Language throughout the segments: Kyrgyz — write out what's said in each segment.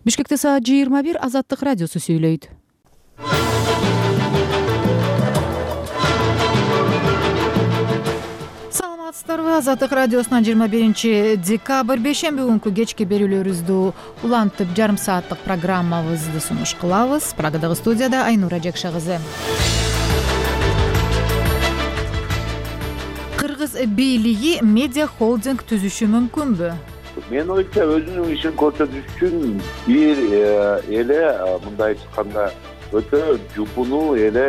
Бишкекте саат 21 Азаттык радиосу сүйлөйт. Саламатсыздарбы? Азаттык радиосунан 21 декабрь бейшемби күнкү кечки берүүлөрүбүздү улантып жарым сааттык программабызды сунуш кылабыз. Прагадагы студияда Айнура Жекше кызы. Кыргыз бийлиги медиа холдинг түзүшү мүмкүнбү? Мен оюмча өзүнүн ишин көрсөтүш үчүн бир эле мындай айтканда өтө жупунуу эле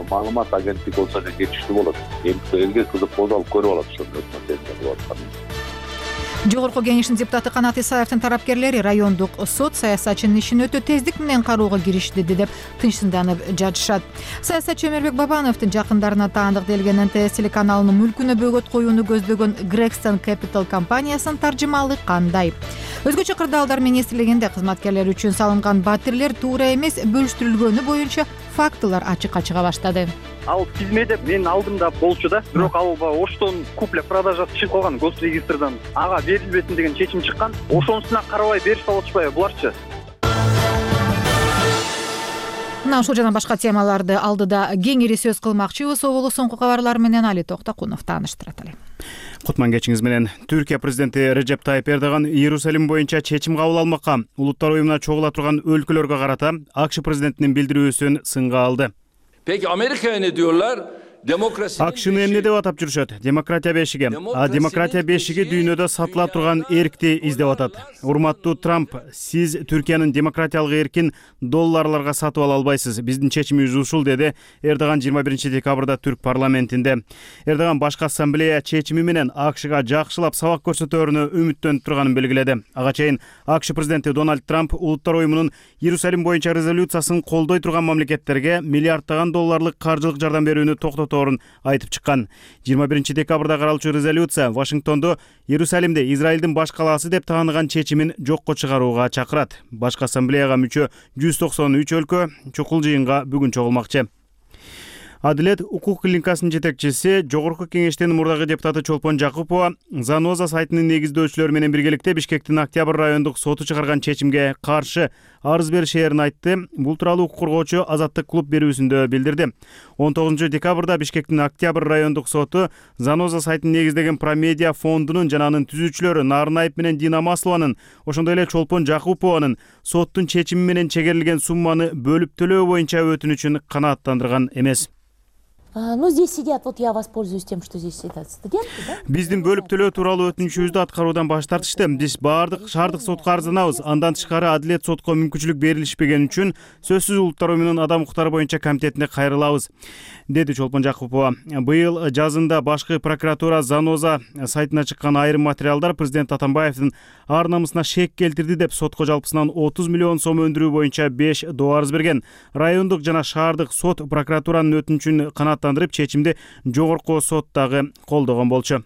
маалымат агенттиги болсо жетиштүү болот. Элге кызык болуп алып көрүп алат ошондой маселени кылып атканын. Жогорку кеңештин депутаты Канат Исаевдин тарапкерлери райондук сот саясатчынын ишин өтө тездик менен кароого киришти деп тынчсызданып жатышат. Саясатчы Өмөрбек Бабановдун жакындарына таандык делген НТС телеканалынын мүлкүнө бөгөт коюуну көздөгөн Gregson Capital компаниясынын таржымалыгы кандай? Өзгөчө кырдаалдар министрлигинде кызматкерлер үчүн салынган батирлер туура эмес бөлүштүрүлгөнү боюнча фактылар ачыкка чыга баштады. Ал тизмеде менин алдымда болчу да, бирок ал оштон купля-продажасы чыгып калган госрегистрден. Ага берилбесин деген чечим чыккан. Ошонусуна карабай беришип алышпайбы буларчы? Мына ушул жана башка темаларды алдыда кеңири сөз кылмакчыбыз. Оболу соңку кабарлар менен Али Токтокунов тааныштырат эле. Кутман кечиңиз менен. Түркия президенти Режеп Тайып Эрдоган Иерусалим боюнча чечим кабыл алмакка улуттар уюмуна чогула турган өлкөлөргө карата АКШ президентинин билдирүүсүн сынга алды. Peki Amerika'ya ne diyorlar? АКШны эмне деп атап жүрүшөт? Демократия бешиги. Демократия бешиги дүйнөдө сатыла турган эркти издеп атат. Урматтуу Трамп, сиз Түркиянын демократиялык эркин долларларга сатып ала албайсыз. Биздин чечимибиз ушул, деди Эрдоган 21 декабрда Түрк парламентинде. Эрдоган башкы ассамблея чечими менен АКШга жакшылап сабак көрсөтөөрүнө үмүттөнүп турганын белгиледи. Ага чейин АКШ президенти Дональд Трамп улуттар уюмунун Иерусалим боюнча резолюциясын колдой турган мамлекеттерге миллиарддаган долларлык каржылык жардам берүүнү токтотоорун айтып чыккан. 21 декабрда каралчу резолюция Вашингтондо Иерусалимде Израилдин баш калаасы деп тааныган чечимин жокко чыгарууга чакырат. Башкы ассамблеяга мүчө 193 өлкө чукул жыйынга бүгүн чогулмакчы. Адилет укук клиникасынын жетекчиси, жогорку кеңештин мурдагы депутаты Чолпон Жакупова Заноза сайтынын негиздөөчүлөрү менен биргеликте Бишкектин Октябрь райондук соту чыгарган чечимге каршы арыз беришээрин айтты. Бул тууралуу укук коргоочу Азаттык клуб берүүсүндө билдирди. 19 декабрда Бишкектин Октябрь райондук соту Заноза сайтын негиздеген Промедиа фондунун жана анын түзүүчүлөрү Нарынаев менен Дина Маслованын, ошондой эле Чолпон Жакупованын соттун чечими менен чегерилген сумманы бөлүп төлөө боюнча өтүнүчүн канааттандырган эмес. Ну, здесь сидят, вот я воспользуюсь тем, что здесь сидят студенты, да? Биздин бөлүп төлөө тууралуу өтүнүчүбүздү аткаруудан баш тартышты. Биз баардык шаардык сотко арызданабыз. Андан тышкары Адилет сотко мүмкүнчүлүк берилишпеген үчүн сөзсүз улуттар уюмунун адам укуктары боюнча комитетине кайрылабыз, деди Чолпон Жакупова. Быйыл жазында башкы прокуратура Заноза сайтына чыккан айрым материалдар президент Атамбаевдин ар намысына шек келтирди деп сотко жалпысынан 30 миллион сом өндүрүү боюнча 5 доо арыз берген. Райондук жана шаардык сот прокуратуранын өтүнүчүн канааттандырып, чечимди жогорку сот дагы колдогон болчу.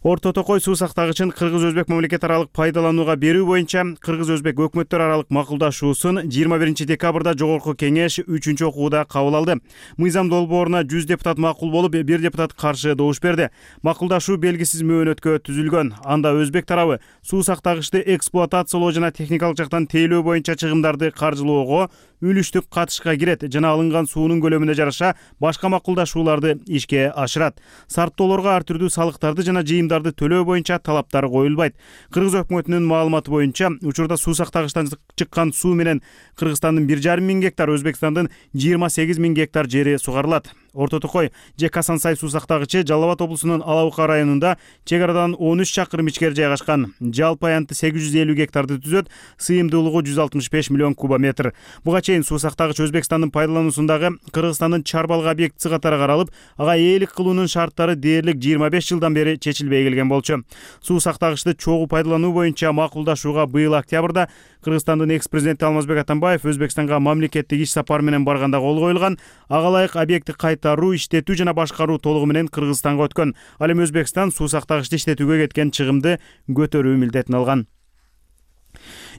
Орто Токой суу сактагычын кыргыз-өзбек мамлекет аралык пайдаланууга берүү боюнча кыргыз-өзбек өкмөттөр аралык макулдашуусун 21 декабрда жогорку кеңеш 3-чү окууда кабыл алды. Мыйзам долбооруна 100 депутат макул болуп, 1 депутат каршы добуш берди. Макулдашуу белгисиз мөөнөткө түзүлгөн. Анда өзбек тарабы суу сактагычты эксплуатациялоо жана техникалык жактан тейлөө боюнча чыгымдарды каржылоого үлүштүк катышка кирет жана алынган суунун көлөмүнө жараша башка макулдашууларды ишке ашырат. Сарптоолорго ар түрдүү салыктарды жана жыйымдарды төлөө боюнча талаптар коюлбайт. Кыргыз өкмөтүнүн маалыматы боюнча учурда суу сактагычтан чыккан суу менен Кыргызстандын 1,5 миң гектар, Өзбекстандын 28 миң гектар жери сугарылат. Орто Токой же Касансай суу сактагычы Жалал Абад облусунун Ала Бука районунда чек арадан 13 чакырым ичкери жайгашкан. Жалпы аянты 850 гектарды түзөт, сыйымдуулугу 165 миллион кубометр. Буга чейин суу сактагыч Өзбекстандын пайдалануусундагы Кыргызстандын Чарбалык объектиси катары каралып, ага ээлик кылуунун шарттары дээрлик 25 жылдан бери чечилбей келген болчу. Суу сактагычты чогуу пайдалануу боюнча макулдашууга быйыл октябрда Кыргызстандын экс-президенти Алмазбек Атамбаев Өзбекстанга мамлекеттик иш сапары менен барганда кол коюлган. Ага ылайык объекти кайтаруу, иштетүү жана башкаруу толугу менен Кыргызстанга өткөн. Ал эми Өзбекстан суу сактагычты иштетүүгө кеткен чыгымды көтөрүү милдетин алган.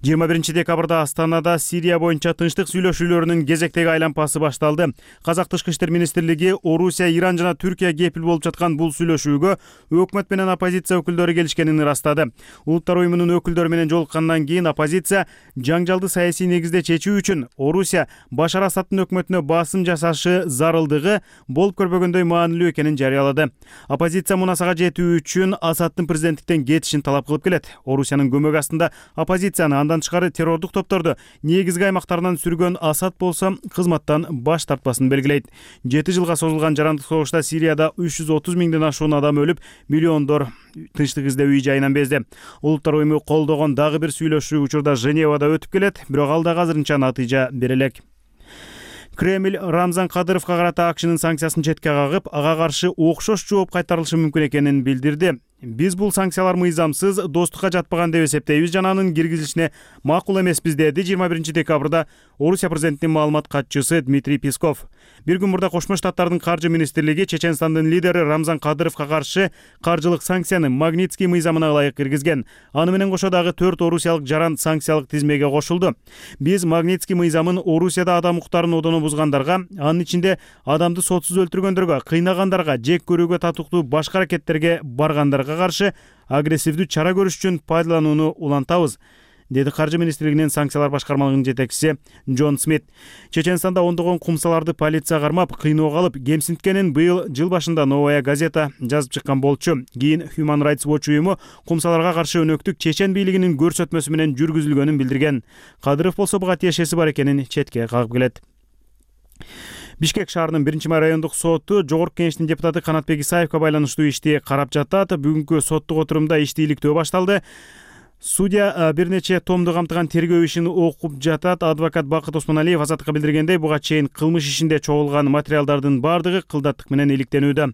21-декабрда Астанада Сирия боюнча тынчтык сүйлөшүүлөрүнүн кезектеги айланпасы башталды. Казак Тышкы иштер министрлиги Орусия, Иран жана Түркия кепил болуп жаткан бул сүйлөшүүгө өкмөт менен оппозиция өкүлдөрү келишкенин ырастады. Улуттар уюмунун өкүлдөрү менен жолуккандан кийин оппозиция жаңжалды саясий негизде чечүү үчүн Орусия Башар Асадтын өкмөтүнө басым жасашы зарылдыгы болуп көрбөгөндөй маанилүү экенин жарыялады. Оппозиция мунасага жетүү үчүн Асадтын президенттиктен кетишин талап кылып келет. Орусиянын көмөк астында оппозицияны, андан тышкары террордук топторду негизги аймактарынан сүргөн Асад болсо кызматтан баш тартпасын белгилейт. 7 жылга созулган жарандык согушта Сирияда 330 миңден ашуун адам өлүп, миллиондор тынчтык издөө үй жайынан безди. Улуттар уюму колдогон дагы бир сүйлөшүү учурда Женевада өтүп келет, бирок ал да азырынча натыйжа бере элек. Кремль Рамзан Кадыровго карата АКШнын санкциясын четке кагып, ага каршы окшош жооп кайтарылышы мүмкүн экенин билдирди. Биз бул санкциялар мыйзамсыз, достукка жатпаган деп эсептейбиз жана анын киргизилишине макул эмеспиз, деди 21-декабрда Орусия президентинин маалымат катчысы Дмитрий Песков. Бир күн мурда Кошмо Штаттардын каржы министрлиги Чеченстандын лидери Рамзан Кадыровго каршы каржылык санкцияны Магнитский мыйзамына ылайык киргизген. Аны менен кошо дагы 4 орусиялык жаран санкциялык тизмеге кошулду. Биз Магнитский мыйзамын Орусияда адам укуктарын одоно бузгандарга, анын ичинде адамды сотсуз өлтүргөндөргө, кыйнагандарга, жек көрүүгө татыктуу башка аракеттерге баргандарга каршы агрессивдүү чара көрүш үчүн пайдаланууну улантабыз, деди каржы министрлигинин санкциялар башкармалыгынын жетекчиси Джон Смит. Чеченстанда ондогон кумсаларды полиция кармап, кыйноого алып, кемсинткенин быйыл жыл башында Новая газета жазып чыккан болчу. Кийин Human Rights Watch уюму кумсаларга каршы өнөктүк чечен бийлигинин көрсөтмөсү менен жүргүзүлгөнүн билдирген. Кадыров болсо буга тиешеси бар экенин четке кагып келет. Бишкек шаарынын 1-май райондук соту Жогорку Кеңештин депутаты Канатбек Исаевге байланыштуу ишти карап жатат. Бүгүнкү соттук отурумда ишти иликтөө башталды. Судья бир нече томду камтыган тергөө ишин окуп жатат. Адвокат Бакыт Осмоналиев Азаттыкка билдиргендей, буга чейин кылмыш ишинде чогулган материалдардын бардыгы кылдаттык менен иликтенүүдө.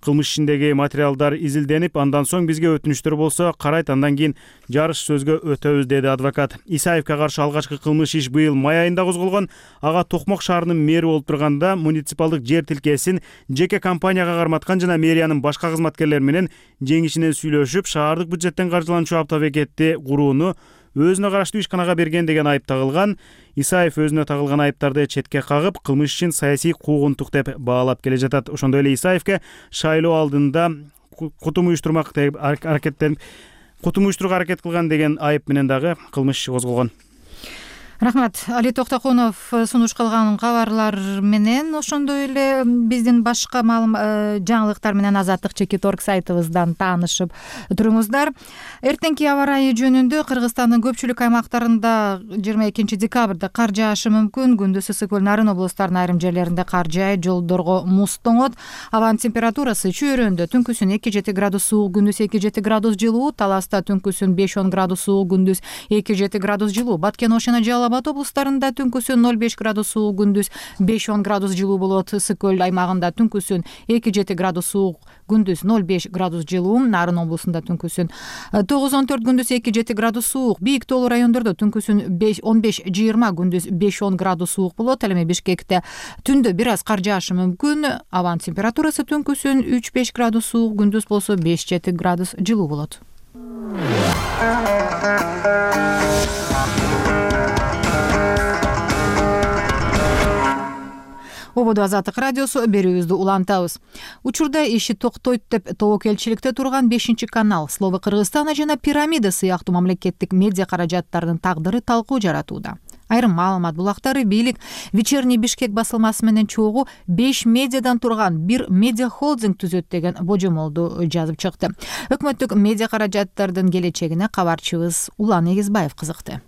Кылмыш ишиндеги материалдар изилденип, андан соң бизге өтүнүчтөр болсо карайт, андан кийин жарыш сөзгө өтөбүз, деди адвокат. Исаевге каршы алгачкы кылмыш иш быйыл май айында козголгон. Ага Токмок шаарынын мэри болуп турганда муниципалдык жер тилкесин жеке компанияга карматкан жана мэриянын башка кызматкерлери менен жеңишинен сүйлөшүп, шаардык бюджеттен каржыланчу автобекетти курууну өзүнө караштуу ишканага берген деген айып тагылган. Исаев өзүнө тагылган айыптарды четке кагып, кылмыш ишин саясий куугунтук деп баалап келе жатат. Ошондой эле Исаевге шайлоо алдында кутум уюштурууга аракет кылган деген айып менен дагы кылмыш иши козголгон. Рахмат. Али Токтокунов сунуш кылган кабарлар менен ошондой эле биздин башка жаңылыктар менен Азаттык Чекит.орг сайтыбыздан таанышып туруңуздар. Эртеңки аба ырайы жөнүндө Кыргызстандын көпчүлүк аймактарында 22-декабрда кар жаашы мүмкүн. Күндүз ысык көл, Нарын облустарынын айрым жерлеринде кар жаайт, жолдорго муз тоңот. Абанын температурасы чөйрөндө түнкүсүн 2-7 градус суук, күндүз 2-7 градус жылуу, Таласта түнкүсүн 5-10 градус суук, күндүз 2-7 градус жылуу. Баткен Ошона Абад облустарында түнкүсүн 0-5 градус суук, күндүз 5-10 градус жылуу болот. Ысык көл аймагында түнкүсүн 2-7 градус суук, күндүз 0-5 градус жылуу. Нарын облусунда түнкүсүн 9-14, күндүз 2-7 градус суук. Бийик тоолуу райондордо түнкүсүн 15-20, күндүз 5-10 градус суук болот. Ал эми Бишкекте түндө бир аз кар жаашы мүмкүн. Абанын температурасы түнкүсүн 3-5 градус суук, күндүз болсо 5-7 градус жылуу болот. Ободо Азаттык радиосу, берүүбүздү улантабыз. Учурда иши токтойт деп тобокелчиликте турган 5-канал, Слово Кыргызстана жана Пирамида сыяктуу мамлекеттик медиа каражаттарынын тагдыры талкуу жаратууда. Айрым маалымат булактары бийлик Вечерний Бишкек басылмасы менен чогуу 5 медиадан турган бир медиа холдинг түзөт деген божомолду жазып чыкты. Өкмөттүк медиа каражаттардын келечегине кабарчыбыз Улан Эгизбаев кызыкты.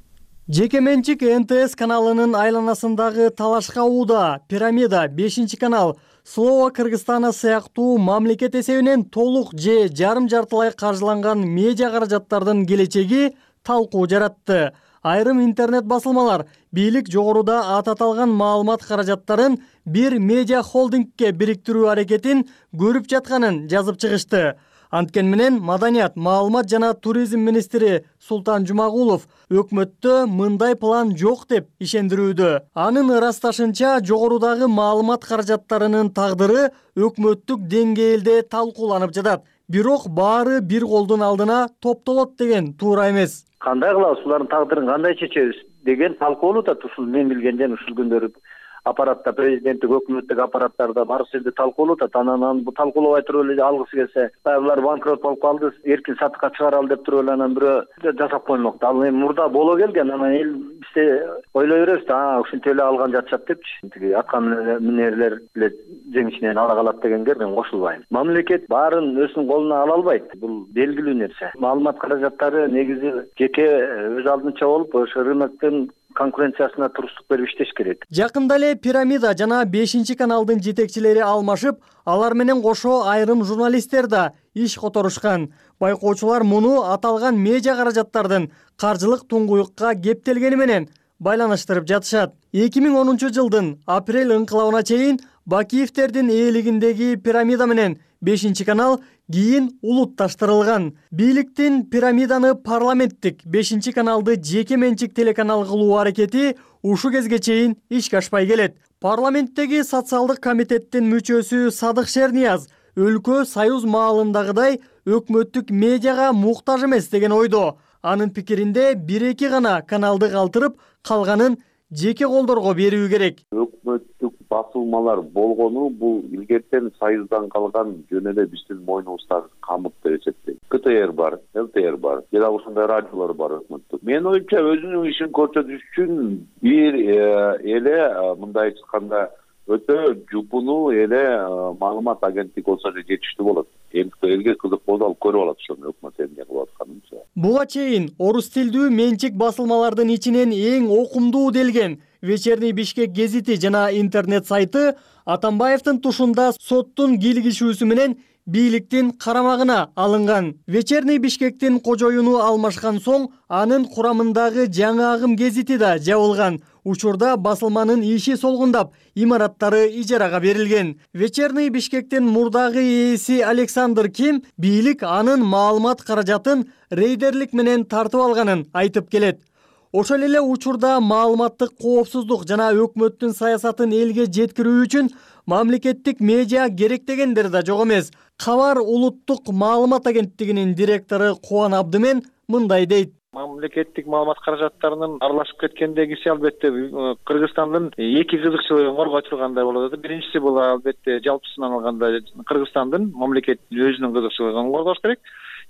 Жеке менчик НТС каналынын айланасындагы талашка ууда Пирамида, 5-канал, Слово Кыргызстана сыяктуу мамлекет эсебинен толук же жарым-жартылай каржыланган медиа каражаттардын келечеги талкуу жаратты. Айрым интернет басылмалар бийлик жогоруда аталган маалымат каражаттарын бир медиа холдингке бириктирүү аракетин көрүп жатканын жазып чыгышты. Анткен менен Маданият, маалымат жана туризм министри Султан Жумагулов өкмөттө мындай план жок деп ишендирүүдө. Анын ырасташынча, жогорудагы маалымат каражаттарынын тагдыры өкмөттүк деңгээлде талкууланып жатат. Бирок баары бир колдун алдына топтолот деген туура эмес. кандай кылабыз, булардын тагдырын кандай чечебиз деген талкуу болуп атат. Ушул мен билгенден ушул күндөрү аппаратта, президенттик, өкмөттүк аппараттарда бар жерде талкуу болуп атат. Анан бу талкуулабай туруп эле алгысы келсе, булар банкрот болуп калды, эркин сатыкка чыгаралы деп туруп эле анан бирөө жасап коймокто. Ал эми мурда боло келген, анан эл бизде ойлой беребиз да, ушинтип эле алган жатышат депчи. Тиги аткан минерлер эле жеңишинен ала калат дегенге мен кошулбайм. Мамлекет баарын өзүнүн колуна ала албайт. Бул белгилүү нерсе. Маалымат каражаттары негизи жеке өз алдынча болуп, ошо рыноктун конкуренциясына туруктук берип иштеш керек. Жакында эле Пирамида жана 5-каналдын жетекчилери алмашып, алар менен кошо айрым журналисттер да иш которушкан. Байкоочулар муну аталган медиа каражаттардын каржылык туңгуюкка кептелгени менен байланыштырып жатышат. 2010 жылдын апрель ыңкылабына чейин Бакиевтердин ээлигиндеги Пирамида менен 5-канал кийин улутташтырылган. Бийликтин Пирамиданы парламенттик, 5-каналды жеке менчик телеканал кылуу аракети ушу кезге чейин ишке ашпай келет. Парламенттеги социалдык комитеттин мүчөсү Садык Шернияз өлкө союз маалындагыдай өкмөттүк медиага муктаж эмес деген ойдо. Анын пикиринде 1-2 гана каналды калтырып, калганын жеке колдорго берүү керек. Өкмөттүк басылмалар болгону бул илгертен союздан калган жөн эле биздин мойнубуздагы камыт деп эсептейм. КТР бар, ЛТР бар, жана ушундай радиолор бар өкмөттүк. Менин оюмча өзүнүн ишин көрсөтүш үчүн бир эле мындай айтканда өтө жупуну эле маалымат агенттиги болсо эле жетиштүү болот. Элге кызык болду, ал көрүп алат ошону өкмөт эмне кылып атканын. Буга чейин орус тилдүү менчик басылмалардын ичинен эң окумдуу делген Вечерний Бишкек гезити жана интернет сайты Атамбаевдин тушунда соттун кийлигишүүсү менен бийликтин карамагына алынган. Вечерний Бишкектин кожоюну алмашкан соң анын курамындагы жаңы агым гезити да жабылган. Учурда басылманын иши солгундап, имараттары ижарага берилген. Вечерний Бишкектин мурдагы ээси Александр Ким бийлик анын маалымат каражатын рейдерлик менен тартып алганын айтып келет. Ошол эле учурда маалыматтык коопсуздук жана өкмөттүн саясатын элге жеткирүү үчүн мамлекеттик медиа керек дегендер да жок эмес. Кабар улуттук маалымат агенттигинин директору Кубан Абдымен мындай дейт. Мамлекеттик маалымат каражаттарынын аралашып кеткендегиси албетте Кыргызстандын эки кызыкчылыгын коргой тургандай болот. Биринчиси бул албетте жалпысынан алганда Кыргызстандын мамлекеттин өзүнүн кызыкчылыгын коргош керек.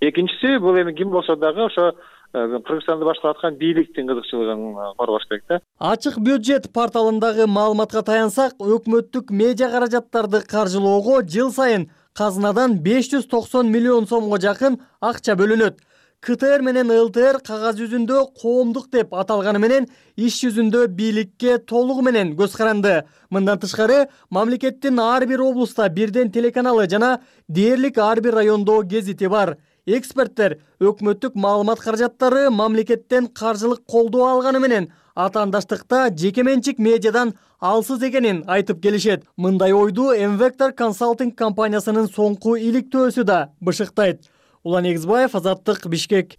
Экинчиси бул эми ким болсо дагы ошо Кыргызстанды башкарып аткан бийликтин кызыкчылыгын коргош керек да. Ачык бюджет порталындагы маалыматка таянсак, өкмөттүк медиа каражаттарды каржылоого жыл сайын казынадан 590 миллион сомго жакын акча бөлүнөт. КТР менен ЛТР кагаз жүзүндө коомдук деп аталганы менен иш жүзүндө бийликке толугу менен көз каранды. Мындан тышкары мамлекеттин ар бир облуста бирден телеканалы жана дээрлик ар бир райондо гезити бар. Эксперттер өкмөттүк маалымат каражаттары мамлекеттен каржылык колдоо алганы менен атаандаштыкта жеке менчик медиадан алсыз экенин айтып келишет. Мындай ойду M-Vector консалтинг компаниясынын соңку иликтөөсү да бышыктайт. Улан Эгизбаев, Азаттык, Бишкек.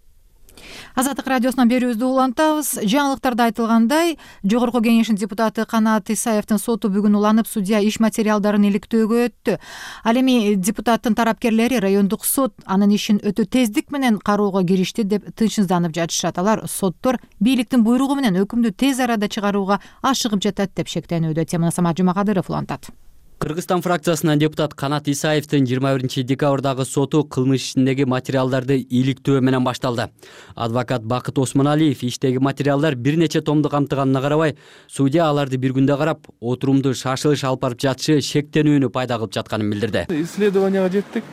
Азаттык радиосунан берүүбүздү улантабыз. Жаңылыктарда айтылгандай, Жогорку Кеңештин депутаты Канат Исаевдин соту бүгүн уланып, судья иш материалдарын иликтөөгө өттү. Ал эми депутаттын тарапкерлери райондук сот анын ишин өтө тездик менен кароого киришти деп тынчсызданып жатышат. Алар соттор бийликтин буйругу менен өкүмдү тез арада чыгарууга ашыгып жатат деп шектенүүдө. Теманы Самат Жумакадыров улантат. Кыргызстан фракциясынан депутат Канат Исаевдин 21 декабрдагы соту кылмыш ишиндеги материалдарды иликтөө менен башталды. Адвокат Бакыт Осмоналиев иштеги материалдар бир нече томду камтыганына карабай, судья аларды бир күндө карап, отурумду шашылыш алып барып жатышы шектенүүнү пайда кылып жатканын билдирди. Исследованияга жеттик.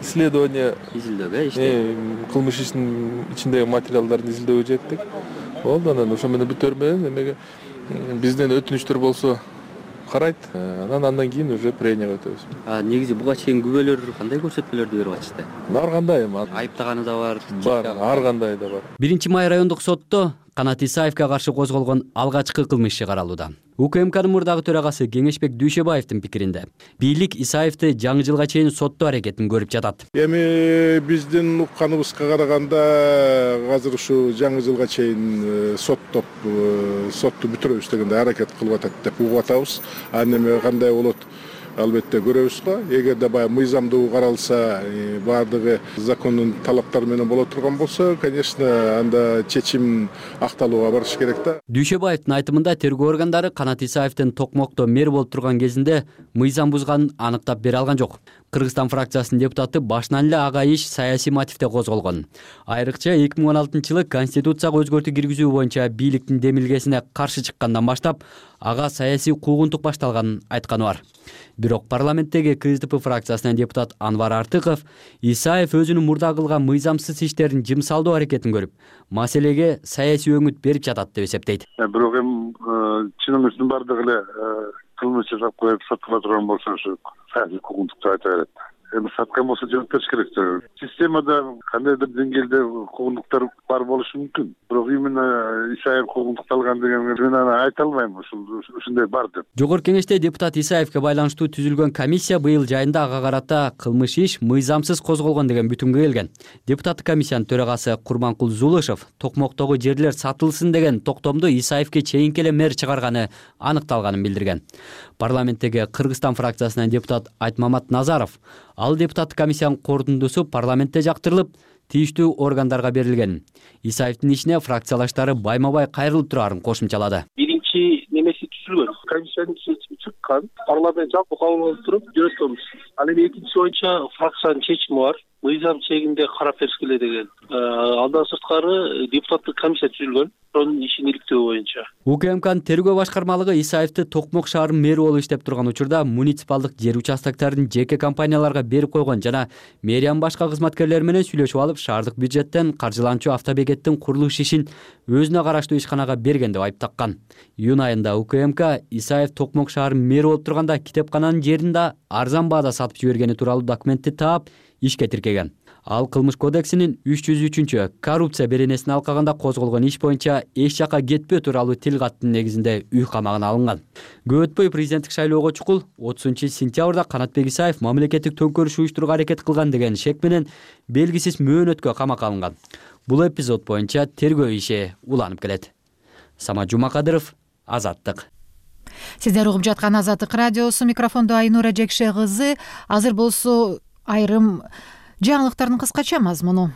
Исследование изилдөөгө кылмыш ишинин ичиндеги материалдарды изилдөөгө жеттик. Болду, анан ошо менен бүтөр менен эмеге бизден өтүнүчтөр болсо карайт, андан кийин уже пренияга өтөбүз. Негизи буга чейин күбөлөр кандай көрсөтмөлөрдү берип атышты? Ар кандай эми айыптаганы да бар. Бар, ар кандай да бар. 1-май райондук сотто Канат Исаевге каршы козголгон алгачкы кылмыш иши каралууда. УКМКнын мурдагы төрагасы Кеңешбек Дүйшөбаевдин пикиринде, бийлик Исаевди жаңы жылга чейин соттоо аракетин көрүп жатат. Эми биздин укканыбызга караганда азыр ушу жаңы жылга чейин сотту бүтүрөбүз дегенде аракет кылып атат деп угуп атабыз. Ал эми кандай болот? албетте көрөбүз го. Эгерде баягы мыйзамдуу каралса, баардыгы закондун талаптары менен боло турган болсо, конечно, анда чечим акталууга барыш керек да. Дүйшөбаевдин айтымында тергөө органдары Канат Исаевдин Токмокто мэр болуп турган кезинде мыйзам бузганын аныктап бере алган жок. Кыргызстан фракциясынын депутаты башынан эле ага иш саясий мотивде козголгон. Айрыкча 2016-жылы Конституцияга өзгөртүү киргизүү боюнча бийликтин демилгесине каршы чыккандан баштап ага саясий куугунтук башталганын айтканы бар. Бирок парламенттеги КСДП фракциясынын депутат Анвар Артыков Исаев өзүнүн мурда кылган мыйзамсыз иштердин жымсалдоо аракетин көрүп, маселеге саясий өңүт берип жатат деп эсептейт. Бирок эми чынымыздын бардыгы эле кылмыш жасап коюп соткула турган болсо ушу саясий куугунтук деп айта берет. Эми саткан болсо жооп бериш керек. Системада кандайдыр деңгээлде куугунтуктар бар болушу мүмкүн. Бирок именно Исаев куугунтукталган деген мен аны айта албайм, ушундай бар деп. Жогорку кеңеште депутат Исаевге байланыштуу түзүлгөн комиссия быйыл жайында ага карата кылмыш иш мыйзамсыз козголгон деген бүтүмгө келген. Депутаттык комиссиянын төрагасы Курманкул Зулышев Токмоктогу жерлер сатылсын деген токтомду Исаевге чейинки эле мэр чыгарганы аныкталганын билдирген. Парламенттеги Кыргызстан фракциясынын депутат Айтмамат Назаров ал депутаттык комиссиянын корутундусу парламентте жактырылып, тийиштүү органдарга берилген. Исаевдин ишине фракциялаштары байма-бай кайрылып турарын кошумчалады. Биринчи немеси түзүлгөн, комиссиянын чечими чыккан, парламент жалпы кабыл алып туруп жөнөтөбүз. Ал эми экинчиси боюнча фракциянын чечими бар. Мыйзам чегинде карап бериш керек деген. Андан сырткары депутаттык комиссия түзүлгөн. Ошонун ишин иликтөө боюнча. УКМКнын тергөө башкармалыгы Исаевди Токмок шаарынын мэри болуп иштеп турган учурда муниципалдык жер участокторун жеке компанияларга берип койгон жана мэриянын башка кызматкерлери менен сүйлөшүп алып, шаардык бюджеттен каржыланчу автобекеттин курулуш ишин өзүнө караштуу ишканага берген деп айыптаккан. Июнь айында УКМК Исаев Токмок шаарынын мэри болуп турганда китепкананын жерин да арзан баада сатып жибергени тууралуу документти таап, ишке тиркеген. Ал кылмыш кодексинин 303 коррупция беренесин алкаганда козголгон иш боюнча эч жака кетпөө тууралуу тил каттын негизинде үй камагына алынган. Көп өтпөй президенттик шайлоого чукул 30-сентябрда Канатбек Исаев мамлекеттик төңкөрүш уюштурууга аракет кылган деген шек менен белгисиз мөөнөткө камакка алынган. Бул эпизод боюнча тергөө иши уланып келет. Самат Жумакадыров, Азаттык. Сиздер угуп жаткан Азаттык радиосу, микрофондо Айнура Жекше кызы. Азыр болсо айрым жаңылыктардын кыскача мазмуну.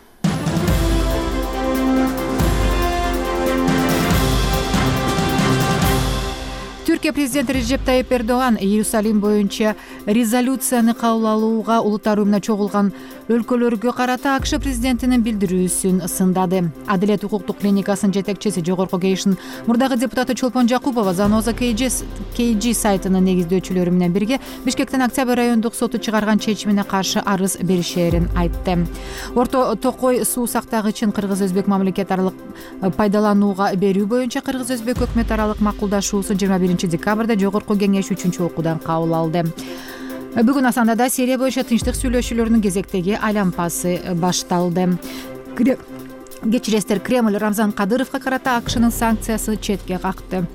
Түркия президенти Режеп Тайип Эрдоган Иерусалим боюнча резолюцияны кабыл алууга улуттар уюмуна чогулган өлкөлөргө карата АКШ президентинин билдирүүсүн сындады. Адилет укуктук клиникасынын жетекчиси, жогорку кеңештин мурдагы депутаты Чолпон Жакупова Заноза KG сайтынын негиздөөчүлөрү менен бирге Бишкектин Октябрь райондук соту чыгарган чечимине каршы арыз беришерин айтты. Орто Токой суу сактагычын кыргыз-өзбек мамлекет аралык пайдаланууга берүү боюнча кыргыз-өзбек өкмөт аралык макулдашуусун 21 декабрда жогорку кеңеш 3-окуудан кабыл алды. Бүгүн Асандада Сирия боюнча тынчтык сүйлөшүүлөрүнүн кезектеги айланпасы башталды. Кечиресиздер, Кремль Рамзан Кадыровго карата АКШнын санкциясы четке какты.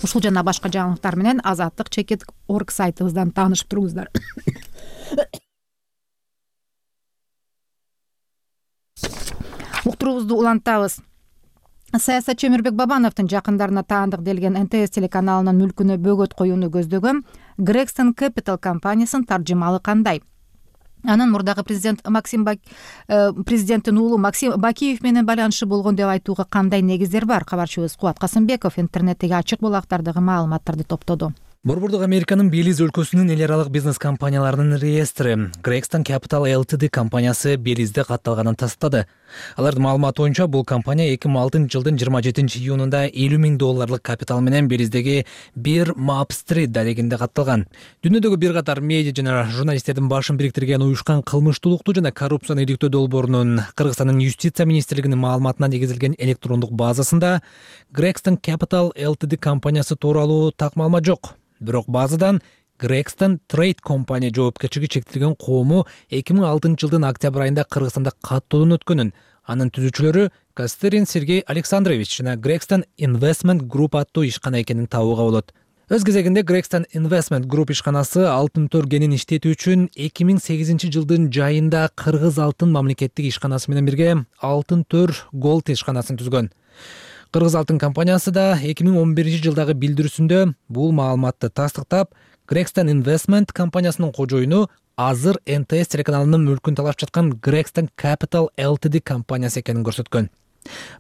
Ушул жана башка жаңылыктар менен Азаттык.org сайтыбыздан таанышып туруңуздар. Уктуруубузду улантабыз. Саясатчы Өмүрбек Бабановдун жакындарына таандык делген НТС телеканалынын мүлкүнө бөгөт коюуну көздөгөн Gregson Capital компаниясынын таржымалы кандай? Анын мурдагы президенттин уулу Максим Бакиев менен байланышы болгон деп айтууга кандай негиздер бар? Кабарчыбыз Кубат Касымбеков интернеттеги ачык булактардагы маалыматтарды топтоду. Борбордук Американын Белиз өлкөсүнүн эл аралык бизнес компанияларынын реестри Gregson Capital Ltd компаниясы Белизде катталганын тастады. Алардын маалыматы боюнча бул компания 2006-жылдын 27-июнунда $50 миң капитал менен Белиздеги бир Map Street дарегинде катталган. Дүйнөдөгү бир катар медиа жана журналисттердин башын бириктирген уюшкан кылмыштуулукту жана коррупцияны иликтөө долбоорунун Кыргызстандын юстиция министрлигинин маалыматына негизилген электрондук базасында Gregson Capital Ltd компаниясы тууралуу так маалымат жок. Бирок базадан Gregson Trade компания жоопкерчилиги чектелген коому 2006-жылдын октябрь айында Кыргызстанда каттоодон өткөнүн, анын түзүүчүлөрү Кастерин Сергей Александрович жана Gregson Investment Group аттуу ишкана экенин табууга болот. Өз кезегинде Gregson Investment Group ишканасы алтын торгенин иштетүү үчүн 2008-жылдын жайында Кыргыз алтын мамлекеттик ишканасы менен бирге Алтын төр Gold ишканасын түзгөн. Кыргыз алтын компаниясы да 2011-жылдагы билдирүүсүндө бул маалыматты тастыктап, Gregson Investment компаниясынын кожоюну азыр НТС телеканалынын мүлкүн талашып жаткан Gregson Capital Ltd компаниясы экенин көрсөткөн.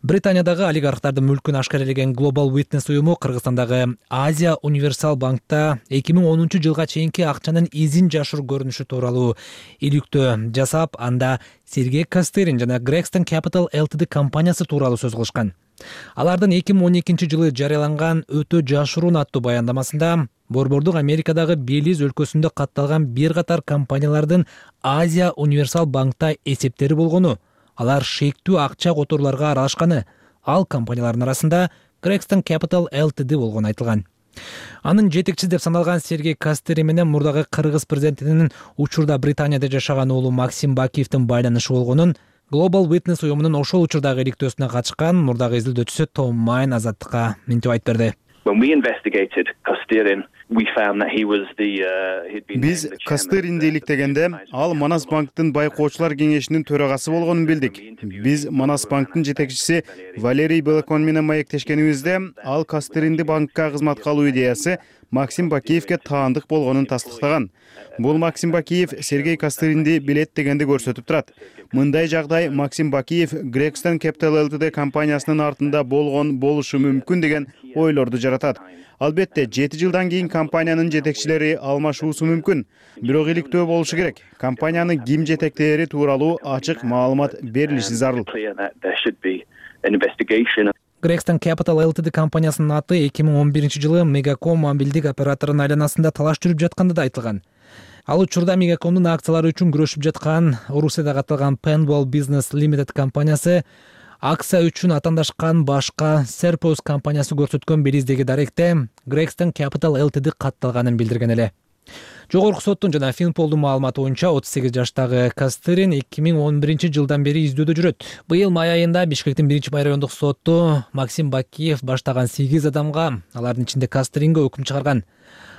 Британиядагы олигархтардын мүлкүн ашкарелеген Global Witness уюму Кыргызстандагы Азия Универсал банкта 2010 жылга чейинки акчанын изин жашыруу көрүнүшү тууралуу иликтөө жасап, анда Сергей Костерин жана Gregson Capital Ltd компаниясы тууралуу сөз кылышкан. Алардын 2012 жылы жарыяланган өтө жашыруун аттуу баяндамасында Борбордук Америкадагы Белиз өлкөсүндө катталган бир катар компаниялардын Азия Универсал банкта эсептери болгону, алар шектүү акча которууларга аралашканы, ал компаниялардын арасында Gregson Capital Ltd болгону айтылган. Анын жетекчиси деп саналган Сергей Костери менен мурдагы кыргыз президентинин учурда Британияда жашаган уулу Максим Бакиевдин байланышы болгонун Global Witness уюмунун ошол учурдагы иликтөөсүнө катышкан мурдагы изилдөөчүсү Том Майн Азаттыкка мынтип айтып берди. Биз Костеринди иликтегенде ал Манас банктын байкоочулар кеңешинин төрагасы болгонун билдик. Биз Манас банктын жетекчиси Валерий Белокон менен маектешкенибизде ал Костеринди банкка кызматка алуу идеясы Максим Бакиевке таандык болгонун тастыктаган. Бул Максим Бакиев Сергей Костеринди билет дегенди көрсөтүп турат. Мындай жагдай Максим Бакиев Gregson Capital Ltd компаниясынын артында болушу мүмкүн деген ойлорду жаратат. Албетте 7 жылдан кийин компаниянын жетекчилери алмашуусу мүмкүн. Бирок иликтөө болушу керек. Компаниянын ким жетектери тууралуу ачык маалымат берилиши зарыл. Gregson Capital Ltd компаниясынын аты 2011 жылы Megacom мобилдик операторунун айланасында талаш жүрүп жатканда да айтылган. Ал учурда Megacomдун акциялары үчүн күрөшүп жаткан Орусияда катталган Penwell Business Limited компаниясы акция үчүн атаандашкан башка Serpos компаниясы көрсөткөн белиздеги даректе Gregson Capital Ltd катталганын билдирген эле. Жогорку соттун жана Finpol'дун маалыматы боюнча 38 жаштагы Костерин 2011 жылдан бери издөөдө жүрөт. Быйыл май айында Бишкектин 1-май райондук соту Максим Бакиев баштаган 8 адамга, алардын ичинде Костеринге өкүм чыгарган.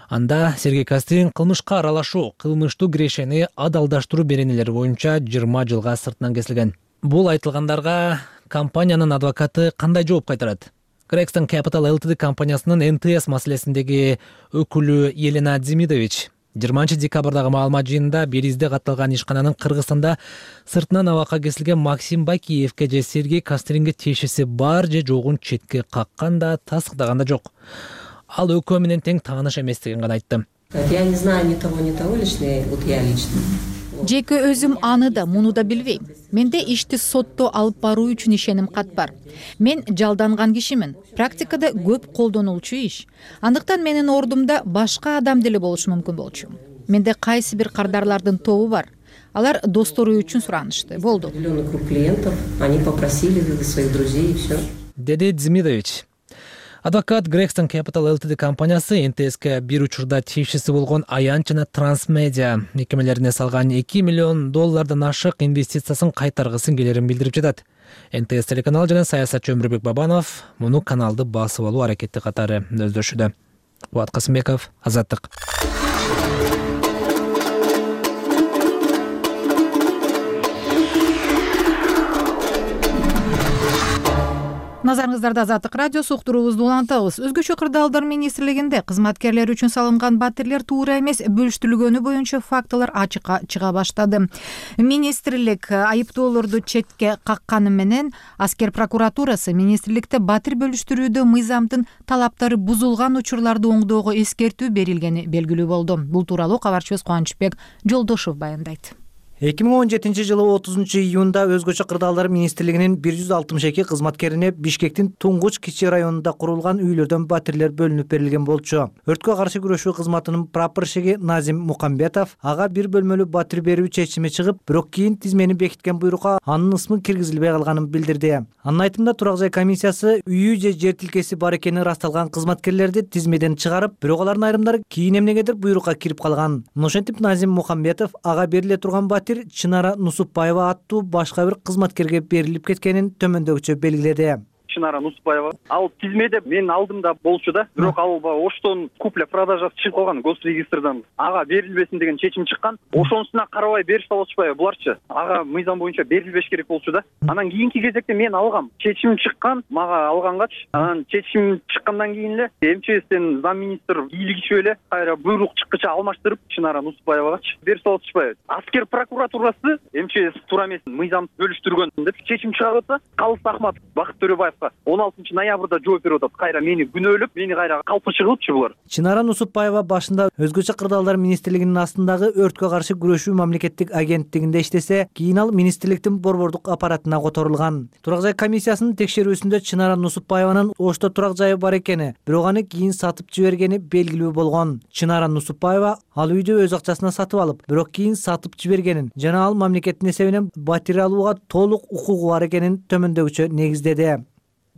Анда Сергей Костерин кылмышка аралашуу, кылмыштуу кирешени адалдаштыруу беренелери боюнча 20 жылга сыртынан кесилген. Бул айтылгандарга компаниянын адвокаты кандай жооп кайтарат? Gregson Capital Ltd компаниясынын НТС маселесиндеги өкүлү Елена Демидович 20 декабрдагы маалымат жыйынында Белизде катталган ишкананын Кыргызстанда сыртынан абакка кесилген Максим Бакиевке же Сергей Костеринге тиешеси бар же жогун четке каккан да, тастыктаган да жок. Ал өкөө менен тең тааныш эместигин гана айтты. Я не знаю ни того, лично, вот я лично. Жеке өзүм аны да, муну да билбейм. Менде ишти сотто алып баруу үчүн ишеним кат бар. Мен жалданган кишимин. Практикада көп колдонулчу иш. Андыктан менин ордумда башка адам деле болушу мүмкүн болчу. Менде кайсы бир кардарлардын тобу бар. Алар достору үчүн суранышты. Болду. Клиентов, они попросили своих друзей и все. Деди Демидович. Адвокат Gregson Capital Ltd компаниясы НТСке бир учурда тиешеси болгон Аянт жана Трансмедиа мекемелерине салган $2 миллион ашык инвестициясын кайтаргысын келерин билдирип жатат. НТС телеканалы жана саясатчы Өмүрбек Бабанов муну каналды басып алуу аракети катары өздөшүүдө. Буат Касымбеков, Азаттык. Назарыңыздарда Азаттык радиосу, уктуруубузду улантабыз. Өзгөчө кырдаалдар министрлигинде кызматкерлер үчүн салынган батирлер туура эмес бөлүштүрүлгөнү боюнча фактылар ачыкка чыга баштады. Министрлик айыптоолорду четке какканы менен аскер прокуратурасы министрликте батир бөлүштүрүүдө мыйзамдын талаптары бузулган учурларды оңдоого эскертүү берилгени белгилүү болду. Бул тууралуу кабарчыбыз Кубанычбек Жолдошов баяндайт. 2017 жылы 30 июнда өзгөчө кырдаалдар министрлигинин 162 кызматкерине Бишкектин Туңгуч кичи районунда курулган үйлөрдөн батирлер бөлүнүп берилген болчу. Өрткө каршы күрөшүү кызматынын прапорщиги Назим Мукамбетов ага бир бөлмөлүү батир берүү чечими чыгып, бирок кийин тизмени бекиткен буйрукка анын ысмы киргизилбей калганын билдирди. Анын айтымында турак жай комиссиясы үйү же жер тилкеси бар экени ырасталган кызматкерлерди тизмеден чыгарып, бирок алардын айрымдары кийин эмнегедир буйрукка кирип калган. Ошентип Назим Мукамбетов ага бериле турган батир Чынара Нусупбаева аттуу башка бир кызматкерге берилип кеткенин төмөндөгүчө белгиледи. Чынара Нусупаева. Ал тизмеде менин алдымда болчу да, бирок ал оштон купля продажасы чыгып калган госрегистрдан. Ага берилбесин деген чечим чыккан. Ошонусуна карабай берип салышпайбы буларчы? Ага мыйзам боюнча берилбеш керек болчу да. Анан кийинки кезекте мен алгам. Чечим чыккан, мага алгангач, анан чечим чыккандан кийин эле МЧСтен зам министр бийлигичип эле кайра буйрук чыккыча алмаштырып Чынара Нусупаевагачы берип салышпайбы. Аскер прокуратурасы МЧС туура эмес, мыйзам бөлүштүргөн деп чечим чыгарып атса, Калыс Ахматов Бакыт Төрөбаевга 16 ноябрда жооп берип атат. Кайра мени күнөөлөп, мени кайра калпычы кылыпчы булар. Чынара Нусупаева башында өзгөчө кырдаалдар министрлигинин астындагы өрткө каршы күрөшүү мамлекеттик агенттигинде иштесе, кийин ал министрликтин борбордук аппаратына которулган. Турак жай комиссиясынын текшерүүсүндө Чынара Нусупаеванын Ошто турак жайы бар экени, бирок аны кийин сатып жибергени белгилүү болгон. Чынара Нусупаева ал үйдү өз акчасына сатып алып, бирок кийин сатып жибергенин жана ал мамлекеттин эсебинен батир алууга толук укугу бар экенин төмөндөгүчө негиздеди.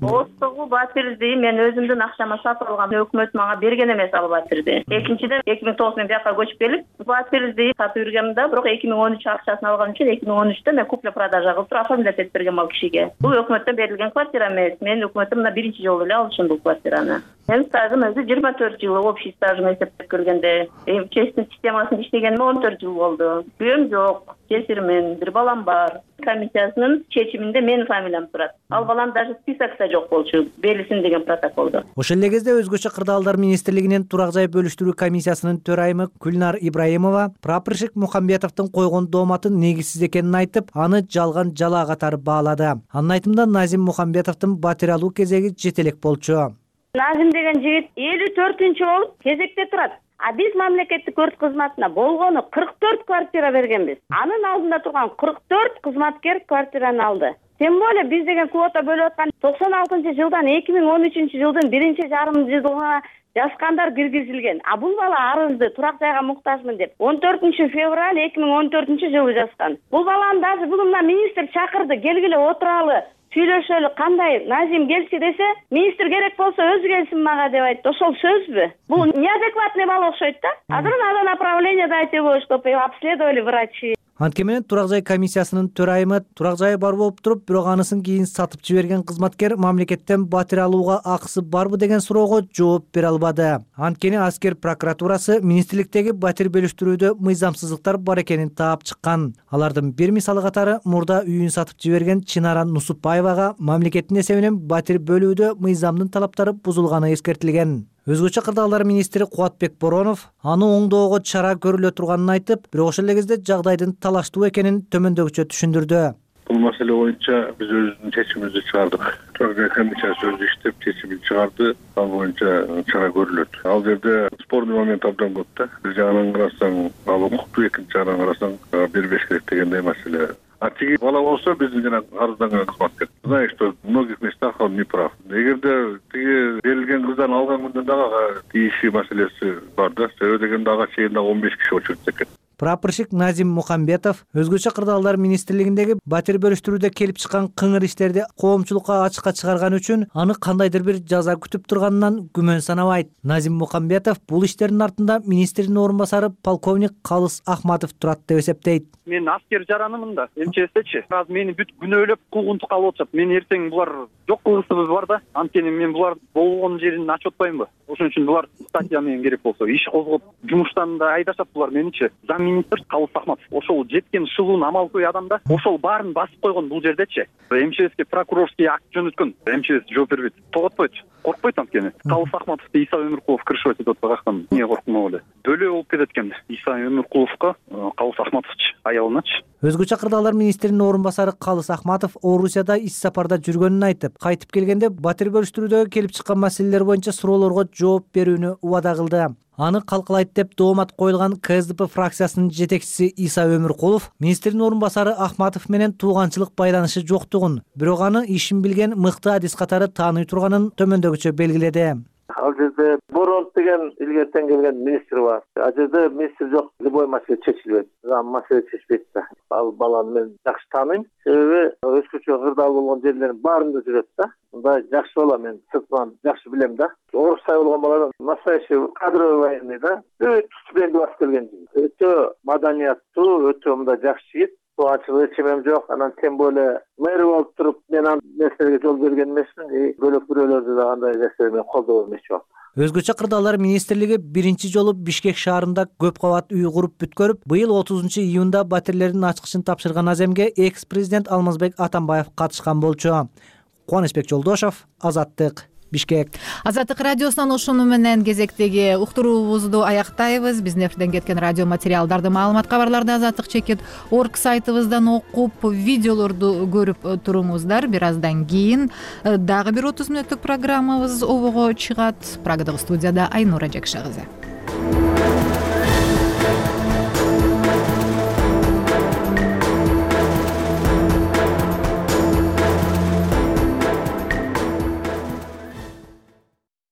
Остогу батирди мен өзүмдүн акчама сатып алгам. Өкмөт мага берген эмес ал батирди. Экинчиден 2009 мен бияка көчүп келип, батирди сатып жүргөм да, бирок 2013 акчасын алган үчүн 2013-тө мен купля продажа кылып туруп оформлять этип бергем ал кишиге. Бул өкмөттөн берилген квартира эмес. Мен өкмөттөн мына биринчи жолу эле алышым бул квартираны. Менин стажым өзү 24 жыл, общий стажым эсептеп көргөндө. МЧСтин системасында иштегениме 14 жыл болду. Күйөөм жок, жесирмин, бир балам бар. Комиссиясынын чечиминде менин фамилиям турат. Ал балам даже списокто жок болчу, берилсин деген протоколдо. Ошол эле кезде өзгөчө кырдаалдар министрлигинин турак жай бөлүштүрүү комиссиясынын төрайымы Гүлнар Ибраимова прапорщик Мухамбетовдун койгон дооматын негизсиз экенин айтып, аны жалган жалаа катары баалады. Анын айтымында Назим Мухамбетовдун батир алуу кезеги жетелек болчу. Назим деген жигит 54-чү болуп кезекте турат. А биз мамлекеттик өрт кызматына болгону 44 квартира бергенбиз. Анын алдында турган 44 кызматкер квартираны алды. Тем более биз деген квота бөлүп аткан 96-жылдан 2013 жылдын 1,5 жазгандар киргизилген. А бул бала арызды турак жайга муктажмын деп 14 февраль 2014 жылы жазган. Бул баланы даже бүгүн министр чакырды, келгиле отуралы, сүйлөшөлү, кандай Назим келчи десе, министр керек болсо өзү келсин мага деп айтты. Ошол сөзбү? Бул неадекватный бала окшойт да. Азыр надо направление дать его, чтобы обследовали врачи. Антке менен турак жай комиссиясынын төрайымы турак жайы бар болуп туруп, бирок анысын кийин сатып жиберген кызматкер мамлекеттен батир алууга акысы барбы деген суроого жооп бере албады. Анткени Аскер прокуратурасы министрликтеги батир бөлүштүрүүдө мыйзамсыздыктар бар экенин таап чыккан. Алардын бир мисалы катары мурда үйүн сатып жиберген Чынара Нусупаевага мамлекеттин эсебинен батир бөлүүдө мыйзамдын талаптары бузулганы эскертилген. Өзгөчө кырдаалдар министри Кубатбек Боронов аны оңдоого чара көрүлө турганын айтып, бирок ошол эле кезде жагдайдын талаштуу экенин төмөндөгүчө түшүндүрдү. Бул маселе боюнча биз өзүбүздүн чечимибизди чыгардык. Турак жай комиссиясы өзү иштеп чечимин чыгарды, ал боюнча чара көрүлөт. Ал жерде спорный момент абдан көп да. Бир жагынан карасаң ал укуктуу, экинчи жагынан карасаң бербеш керек дегендей маселе. А тиги бала болсо биздин жана арызданган кызматкер. Знаешь, что в многих местах он не прав. Эгерде тиги берилген кыздан алган күндөн дагы тийиши маселеси бар да. Себеби дегенде ага чейин дагы 15 киши очурт экен. Прапорщик Назим Мухамбетов өзгөчө кырдаалдар министрлигиндеги батир бөлүштүрүүдө келип чыккан кыңыр иштерди коомчулукка ачыкка чыгарган үчүн аны кандайдыр бир жаза күтүп турганынан күмөн санабайт. Назим Мухамбетов бул иштердин артында министрдин орун басары полковник Калыс Ахматов турат деп эсептейт. Мен аскер жаранымын да, МЧСчи. Азыр мени бүт күнөөлөп куугунтук алып атышат. Мен эртең булар жок кылгысыбыз бар да. Анткени мен булар болгон жерин ачып атпаймынбы? Ошон үчүн булар статья менен керек болсо иш козгоп, жумуштан да айдашат булар меничи. Министр Калыс Ахматов ошол жеткен шылуун амалкөй адам да, ошол баарын басып койгон бул жердечи. МЧСке прокурорский акт жөнөткөн, МЧС жооп бербейт, тоготпойт, коркпойт анткени. Калыс Ахматовду Иса Өмүркулов крышевать этип аткан, эмне коркмок эле. Бөлө болуп кетет экен Иса Өмүркуловго Калыс Ахматовчу, аялыначы. Өзгөчө кырдаалдар министринин орун басары Калыс Ахматов Орусияда ис сапарда жүргөнүн айтып, кайтып келгенде батир бөлүштүрүүдө келип чыккан маселелер боюнча суроолорго жооп берүүнү убада кылды. Аны калкалайт деп доомат коюлган КСДП фракциясынын жетекчиси Иса Өмүркулов министрдин орун басары Ахматов менен тууганчылык байланышы жоктугун, бирок аны ишин билген мыкты адис катары тааный турганын төмөндөгүчө белгиледи. Ал жерде Боронов деген илгертен келген министр бар. Ал жерде министр жок, любой маселе чечилбейт. Маселе чечпейт да. Ал баланы мен жакшы тааныйм. Себеби өзгөчө кырдаал болгон жерлердин баарында жүрөт да. Мындай жакшы бала, мен сыртынан жакшы билем да. Орустай болгон баладан настоящий кадровый военный да. Өтө стипендия басып келген жигит. Өтө маданияттуу, өтө мындай жакшы жигит. Суачылык чемем жок. Анан тем более мэр болуп туруп мен ал нерселерге жол берген эмесмин. Бөлөк бирөөлөрдү да андай нерселер менен колдоо эмес жок. Өзгөчө кырдаалар министрлиги биринчи жолу Бишкек шаарында көп кабат үй куруп бүткөрүп, быйыл 30-июнда батирлердин ачкычын тапшырган аземге экс-президент Алмазбек Атамбаев катышкан болчу. Кубанычбек Жолдошов, Азаттык, Бишкек. Азаттык радиосунан ушуну менен кезектеги уктуруубузду аяктайбыз. Биздин эфирден кеткен радио материалдарды, маалымат, кабарларды azattik.org сайтыбыздан окуп, видеолорду көрүп туруңуздар. Бир аздан кийин дагы бир 30 мүнөттүк программабыз обого чыгат. Прагадагы студияда Айнура Жакша кызы.